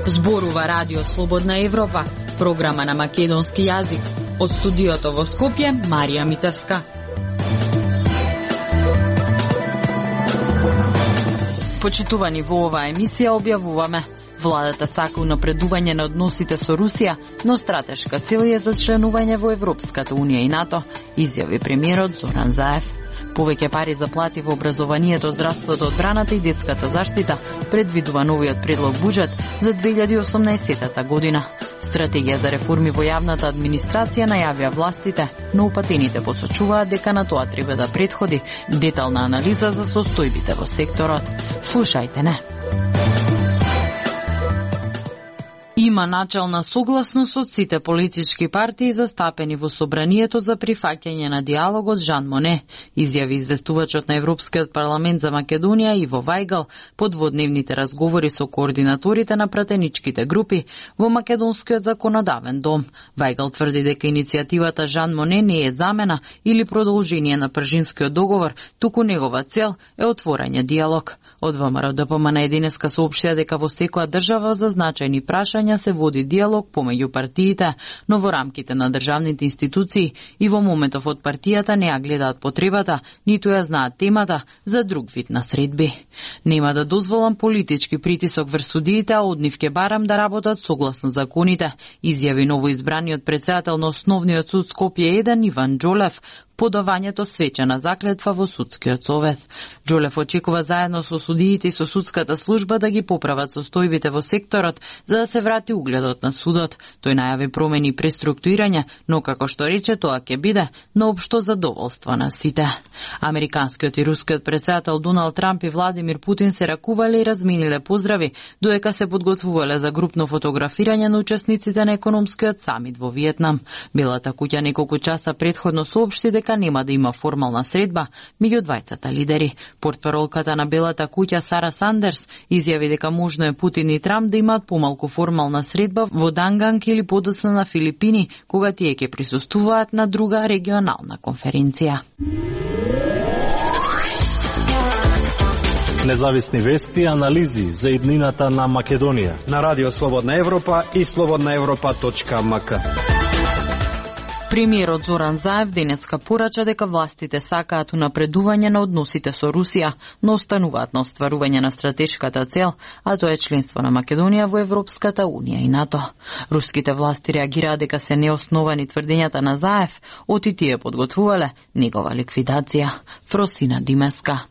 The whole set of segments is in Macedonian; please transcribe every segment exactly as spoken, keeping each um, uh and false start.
Зборува Радио Слободна Европа, програма на македонски јазик. Од студиото во Скопје, Марија Митевска. Почитувани, во оваа емисија објавуваме: владата сака унапредување на односите со Русија, но стратешка цел е за членување во Европската унија и НАТО, изјави премиерот Зоран Заев. Повеќе пари за плати во образованието, здравството, одбраната и детската заштита предвидува новиот предлог буџет за две илјади и осумнаесетта година. Стратегија за реформи во јавната администрација најавија властите, но упатените посочуваат дека на тоа треба да претходи детална анализа за состојбите во секторот. Слушајте не. Има начална согласност од сите политички партии застапени во собранието за прифаќање на диалогот Жан Моне, изјави известувачот на Европскиот парламент за Македонија Иво Вајгал по дводневните разговори со координаторите на пратеничките групи во Македонскиот законодавен дом. Вајгал тврди дека иницијативата Жан Моне не е замена или продолжение на Пржинскиот договор, туку негова цел е отворање диалог. Од ВМРО Д П М на единеска соопштија дека во секоја држава за значајни прашања се води диалог помеѓу партиите, но во рамките на државните институции и во моментов од партијата не ја гледаат потребата, ниту ја знаат темата за друг вид на средби. Нема да дозволам политички притисок врз судиите, а од нив ќе барам да работат согласно законите, изјави новоизбраниот претседател на Основниот суд Скопје еден Иван Џолев, подавањето свечена заклетва во судскиот совет. Џолев очекува заедно со судиите и со судската служба да ги поправат состојбите во секторот за да се врати угледот на судот. Тој најави промени и преструктурирање, но како што рече тоа ќе биде на општо задоволство на сите. Американскиот и рускиот претседател Доналд Трамп и Владимир Путин се ракувале и размениле поздрави, додека се подготвувале за групно фотографирање на учесниците на економскиот самит во Виетнам. Белата куќа неколку часа претходно соопшти дека нема да има формална средба меѓу двајцата лидери. Портпаролката на Белата куќа Сара Сандерс изјави дека можно е Путин и Трамп да имаат помалку формална средба во Данганг или подоцна на Филипини, кога тие ќе присуствуваат на друга регионална конференција. Независни вести и анализи за иднината на Македонија на Радио Слободна Европа и слободна европа точка ем ка. Премиерот Зоран Заев денеска порача дека властите сакаат унапредување на односите со Русија, но остануваат на остварување на стратешката цел, а тоа е членство на Македонија во Европската унија и НАТО. Руските власти реагираат дека се неосновани тврдењата на Заев, оти тие подготвувале негова ликвидација. Фросина Димеска.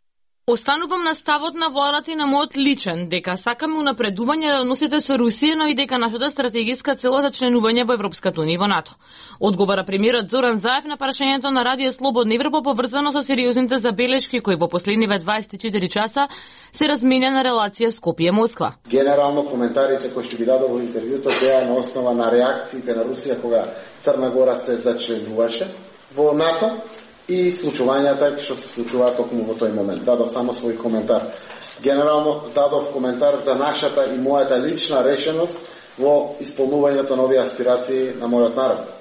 Останувам на ставот на владата и на мојот личен, дека сакаме унапредување на односите со Русија, но и дека нашата стратегиска цел е за членување во Европската унија и во НАТО. Одговора премиерот Зоран Заев на прашањето на Радио Слободна Европа поврзано со сериозните забелешки кои во последниве дваесет и четири часа се разменја на релација Скопје-Москва. Генерално коментарите кои што ги дадов во интервјуто беа на основа на реакциите на Русија кога Црна Гора се зачленуваше во НАТО и случувањата што се случуваат токму во тој момент. Дадов само свој коментар. Генерално дадов коментар за нашата и мојата лична решеност во исполнувањето на овие аспирации на мојот народ.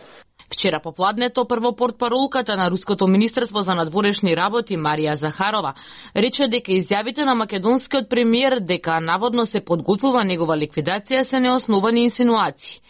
Вчера попладнето прво портпаролката на Руското министерство за надворешни работи Марија Захарова рече дека изјавите на македонскиот премиер дека наводно се подготвува негова ликвидација се неосновани инсинуации.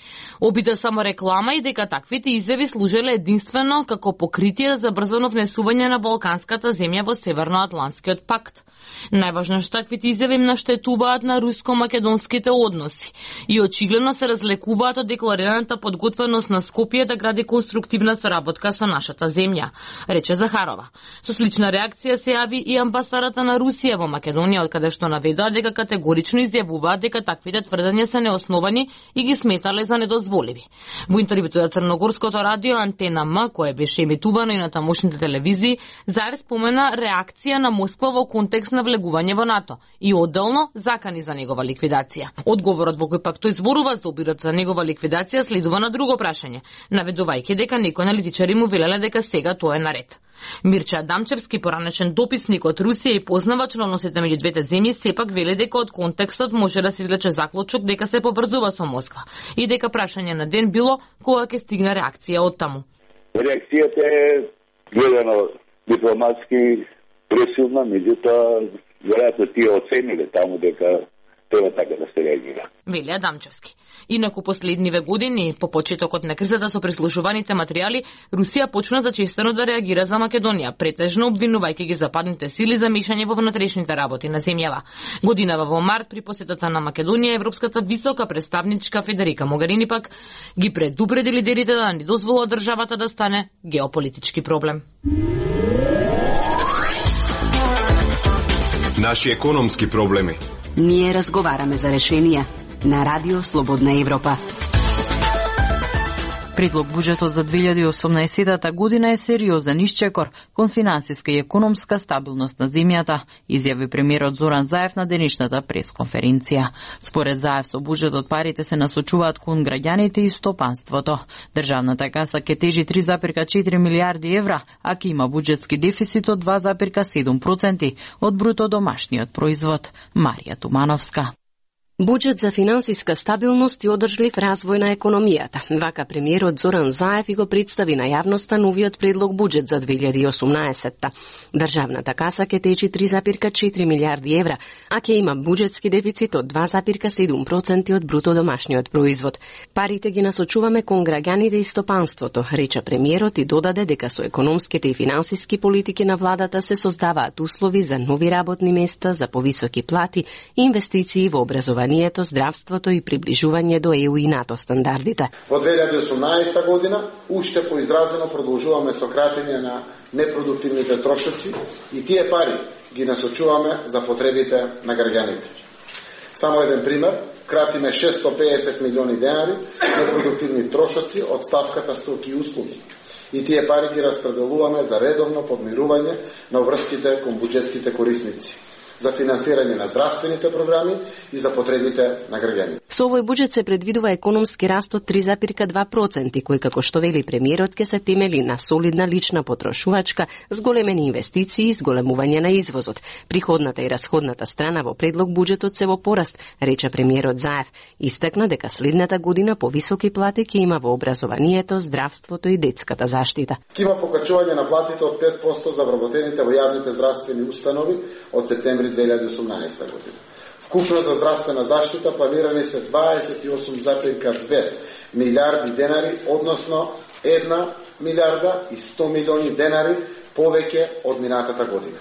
Обида само реклама и дека таквите изјави служеле единствено како покритие за брзано внесување на балканската земја во Северноатлантскиот пакт. Најважно што таквите изјави им наштетуваат на руско-македонските односи и очигледно се разлекуваат од декларираната подготвеност на Скопје да гради конструктивна соработка со нашата земја, рече Захарова. Со слична реакција се јави и амбасадата на Русија во Македонија, од каде што наведоа дека категорично изјавуваат дека таквите тврдења се неосновани и ги сметале за недозволиви. Во интервјуто за Црногорското радио Антена М, кое беше емитувано и на тамошните телевизии, Заев спомена реакција на Москва во контекст на влегување во НАТО и одделно закани за негова ликвидација. Одговорот во кој пак тој зборува за обидот за негова ликвидација следува на друго прашање, наведувајќи дека некои аналитичари му велеле дека сега тоа е наред. Мирча Адамчевски, поранешен дописник од Русија и познавач на односите меѓу двете земји, сепак вели дека од контекстот може да се извлече заклучок дека се поврзува со Москва и дека прашање на ден било кога ќе стигне реакција од таму. Реакцијата е гледано дипломатски пресилна, меѓутоа веројатно тие оцениле таму дека треба така да се реагира. Вели Адамчевски. Инаку последниве години, по почетокот на кризата со прислушуваните материјали, Русија почна зачестено да реагира за Македонија, претежно обвинувајќи ги западните сили за мешање во внатрешните работи на земјава. Годинава во март при посетата на Македонија, Европската висока представничка Федерика Могарини пак ги предупреди лидерите да не дозволат државата да стане геополитички проблем. Наши економски проблеми. Ние разговараме за решенија на Радио Слободна Европа. Предлог буџетот за две илјади и осумнаесетта година е сериозен исчекор кон финансиска и економска стабилност на земјата, изјави премиерот Зоран Заев на денешната пресконференција. Според Заев, со буџетот парите се насочуваат кон граѓаните и стопанството. Државната каса ќе тежи три зарез и четири милијарди евра, а ќе има буџетски дефицит од два зарез и седум проценти од бруто домашниот производ. Марија Тумановска. Буџет за финансиска стабилност и одржлив развој на економијата. Вака премиерот Зоран Заев и го представи на јавноста новиот предлог буџет за две илјади и осумнаесетта. Државната каса ќе течи три зарез и четири милијарди евра, а ќе има буџетски дефицит од два зарез и седум проценти од бруто домашниот производ. Парите ги насочуваме кон граѓаните и стопанството, рече премиерот и додаде дека со економските и финансиски политики на владата се создаваат услови за нови работни места, за повисоки плати, инвестиции во образование, здравството и приближување до Е У и НАТО стандардите. Во две илјади и осумнаесетта година уште поизразено продолжуваме со кратење на непродуктивните трошоци и тие пари ги насочуваме за потребите на граѓаните. Само еден пример, кратиме шестстотини и педесет милиони денари непродуктивни трошоци од ставката стоки и услуги. И тие пари ги распределуваме за редовно подмирување на врските кон буџетските корисници, за финансирање на здравствените програми и за потребите на граѓаните. Со овој буџет се предвидува економски раст од три зарез и два проценти, кој, како што вели премиерот, ќе се темели на солидна лична потрошувачка, зголемени инвестиции и зголемување на извозот. Приходната и расходната страна во предлог буџетот се во пораст, рече премиерот Заев. Истакна дека следната година повисоки плати ќе има во образованието, здравството и детската заштита. Ќе има покачување на платите од пет проценти за вработените во јавните здравствени установи од септември две илјади и осумнаесетта година. Вкупно за здравствена заштита планирани се дваесет и осум зарез и две милијарди денари, односно една милијарда и сто милиони денари повеќе од минатата година.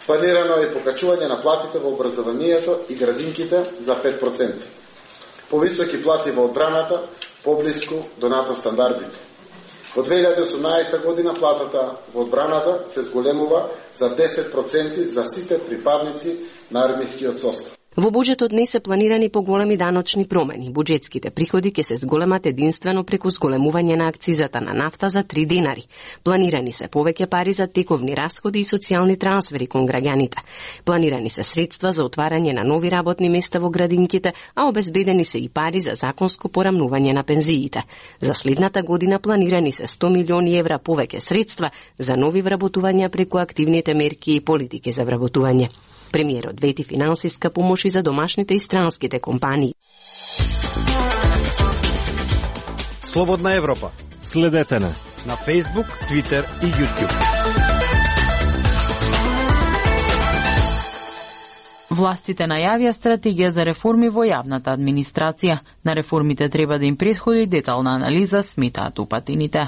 Планирано е покачување на платите во образованието и градинките за пет проценти. Повисоки плати во одбраната, поблиску до НАТО стандардите. Во две илјади и осумнаесетта година платата во одбраната се зголемува за десет проценти за сите припадници на армискиот состав. Во буџетот не се планирани поголеми даночни промени. Буџетските приходи ќе се зголемат единствено преку зголемување на акцизата на нафта за три денари. Планирани се повеќе пари за тековни расходи и социјални трансфери кон граѓаните. Планирани се средства за отварање на нови работни места во градинките, а обезбедени се и пари за законско порамнување на пензиите. За следната година планирани се сто милиони евра повеќе средства за нови вработувања преку активните мерки и политики за вработување. Премиерот вети финансиска помош и за домашните и странските компании. Слободна Европа. Следете на на Facebook, Twitter и YouTube. Властите најавија стратегија за реформи во јавната администрација. На реформите треба да им претходи детална анализа, сметаат упатините.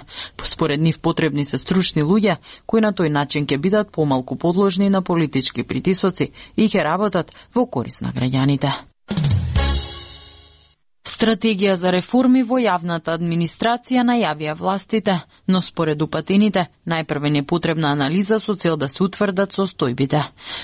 Според нив потребни се стручни луѓе, кои на тој начин ќе бидат помалку подложни на политички притисоци и ќе работат во корист на граѓаните. Стратегија за реформи во јавната администрација најавија властите, но според упатените, најпрвен е потребна анализа со цел да се утврдат состојбите.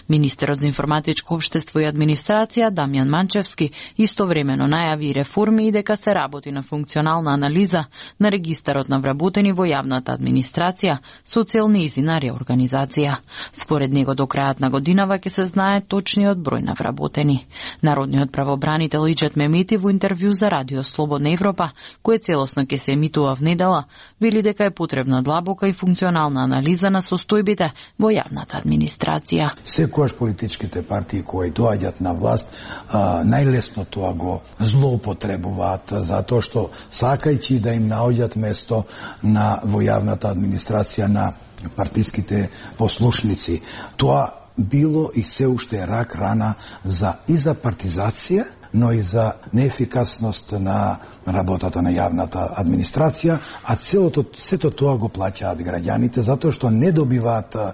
Министерот за информатичко општество и администрација Дамјан Манчевски истовремено најави реформи и дека се работи на функционална анализа на регистарот на вработени во јавната администрација со цел нејзина реорганизација. Според него до крајот на годинава ќе се знае точниот број на вработени. Народниот правобранител Иџет Мемети во интервју за Радио Слободна Европа, кој целосно ќе се емитува внедела, вели дека е потребна длабока и функционална анализа на состојбите во јавната администрација. Секогаш политичките партии кои доаѓаат на власт, а, најлесно тоа го злоупотребуваат, затоа што сакајќи да им наоѓаат место на во јавната администрација на партиските послушници. Тоа било и се уште е рак рана за и за партизација, но и за неефикасност на работата на јавната администрација, а целото сето тоа го плаќаат граѓаните затоа што не добиваат а,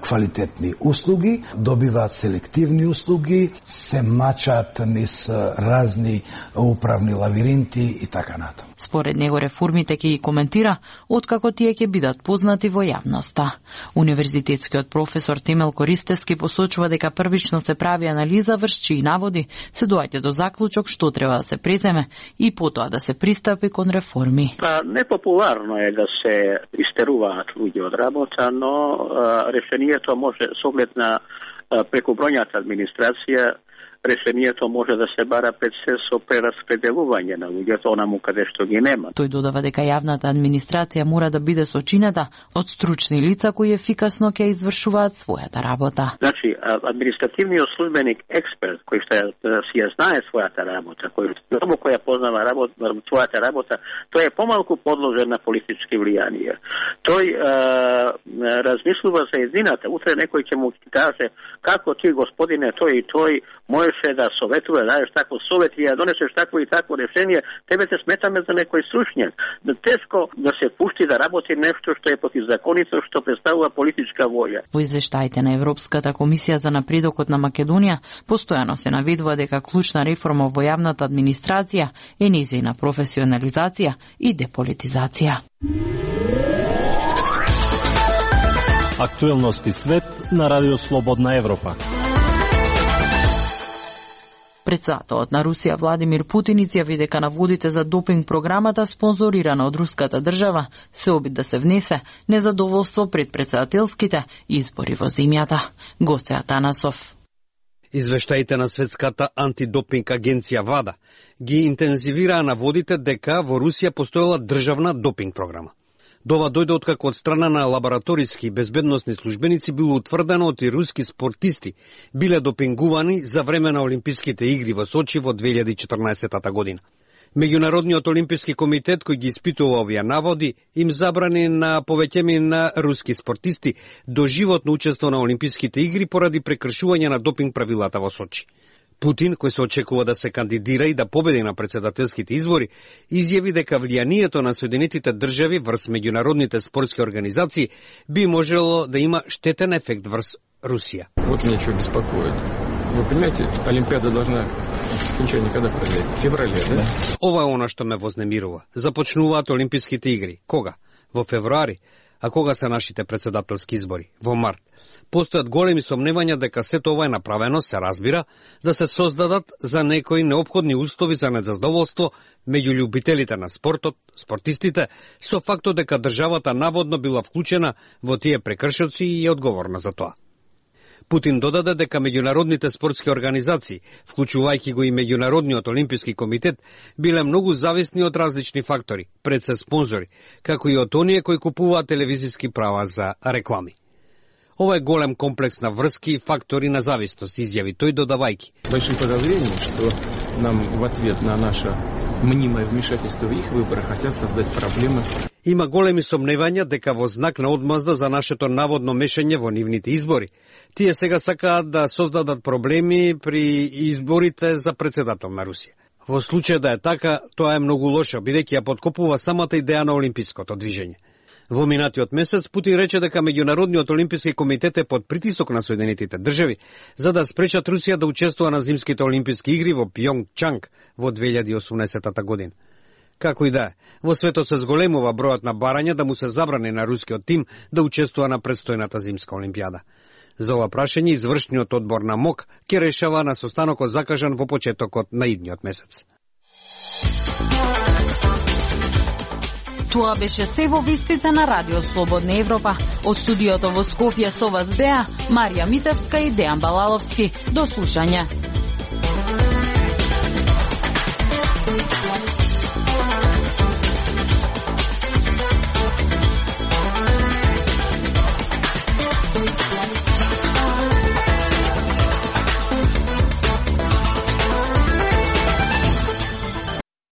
квалитетни услуги, добиваат селективни услуги, се мачаат низ разни управни лавиринти и така натаму. Според него реформите ќе ги коментира откако тие ќе бидат познати во јавноста. Универзитетскиот професор Темел Користевски посочува дека првично се прави анализа врз чии наводи се доаѓа до заклучок што треба да се преземе и потоа да се пристапи кон реформи. Па непопуларно е да се истеруваат луѓе од работа, но а, решението може со оглед на а, прекобројната администрација, решението може да се бара пред се со прераспределување на луѓето онаму каде што ги нема. Тој додава дека јавната администрација мора да биде сочинета од стручни лица кои ефикасно ќе извршуваат својата работа. Значи, административниот службеник експерт кој што си ја знае својата работа, кој длабоко ја познава работа, својата работа, тој е помалку подложен на политички влијанија. Тој а, размислува за едината. Утре некој ќе му каже како ти господине тој и тој можеше да советува, да дадеш такво совет и да донесеш такво и такво решение, тебе те сметаме за некој стручњак. Тешко да се пушти да работи нешто што е противзаконито, што представува политичка воља. Во извештаите на Европската комисија за напредокот на Македонија постојано се наведува дека клучна реформа во јавната администрација е нејзина професионализација и деполитизација. Актуелности свет на Радио Слободна Европа. Председателот на Русија Владимир Путин изјави дека наводите за допинг програмата спонзорирана од руската држава се обид да се внесе незадоволство пред председателските избори во земјата. Гоце Атанасов. Извештаите на Светската антидопинг агенција ВАДА ги интензивираа наводите дека во Русија постоела државна допинг програма. Дова дојде откако од страна на лабораториски и безбедносни службеници било утврдено од и руски спортисти биле допингувани за време на Олимписките игри во Сочи во две илјади и четрнаесетта година. Меѓународниот олимписки комитет кој ги испитува овие наводи им забрани на повеќеми на руски спортисти доживотно учество на Олимписките игри поради прекршување на допинг правилата во Сочи. Путин, кој се очекува да се кандидира и да победи на председателските избори, изјави дека влијанието на Соединетите држави врз меѓународните спортски организации би можело да има штетен ефект врз Русија. Вот меня что беспокоит. Вы понимаете, Олимпиада должна окончание когда произойти? В феврале, да? Ова е она што ме вознемирува. Започнуваат Олимписките игри. Кога? Во февруари. А кога се нашите председателски избори? Во март. Постојат големи сомневања дека сето ова е направено, се разбира, да се создадат за некои неопходни услови за незадоволство меѓу љубителите на спортот, спортистите, со фактот дека државата наводно била вклучена во тие прекршоци и е одговорна за тоа. Путин додаде дека меѓународните спортски организации, вклучувајќи го и Меѓународниот олимписки комитет, биле многу зависни од различни фактори, пред се спонзори, како и од оние кои купуваат телевизиски права за реклами. Ова е голем комплекс на врски и фактори на зависност, изјави тој додавајки. Большим подозрением, што нам в ответ на наше мнимое вмешательство в их выборы хотят создать проблемы. Има големи сомневања дека во знак на одмазда за нашето наводно мешање во нивните избори, тие сега сакаат да создадат проблеми при изборите за председател на Русија. Во случај да е така, тоа е многу лошо, бидејќи ја подкопува самата идеја на олимпиското движење. Во минатиот месец Путин рече дека Меѓународниот олимписки комитет е под притисок на Соединетите држави за да спречат Русија да учествува на зимските олимписки игри во Пјонгчанг во две илјади и осумнаесетта година. Како и да е, во светот се зголемува бројот на барања да му се забрани на рускиот тим да учествува на предстојната зимска олимпијада. За ова прашање извршниот одбор на МОК ќе решава на состанокот закажан во почетокот на идниот месец. Тоа беше се во вестите на Радио Слободна Европа. Од студиото во Скопје со вас беа Марија Митевска и Дејан Балаловски. До слушање.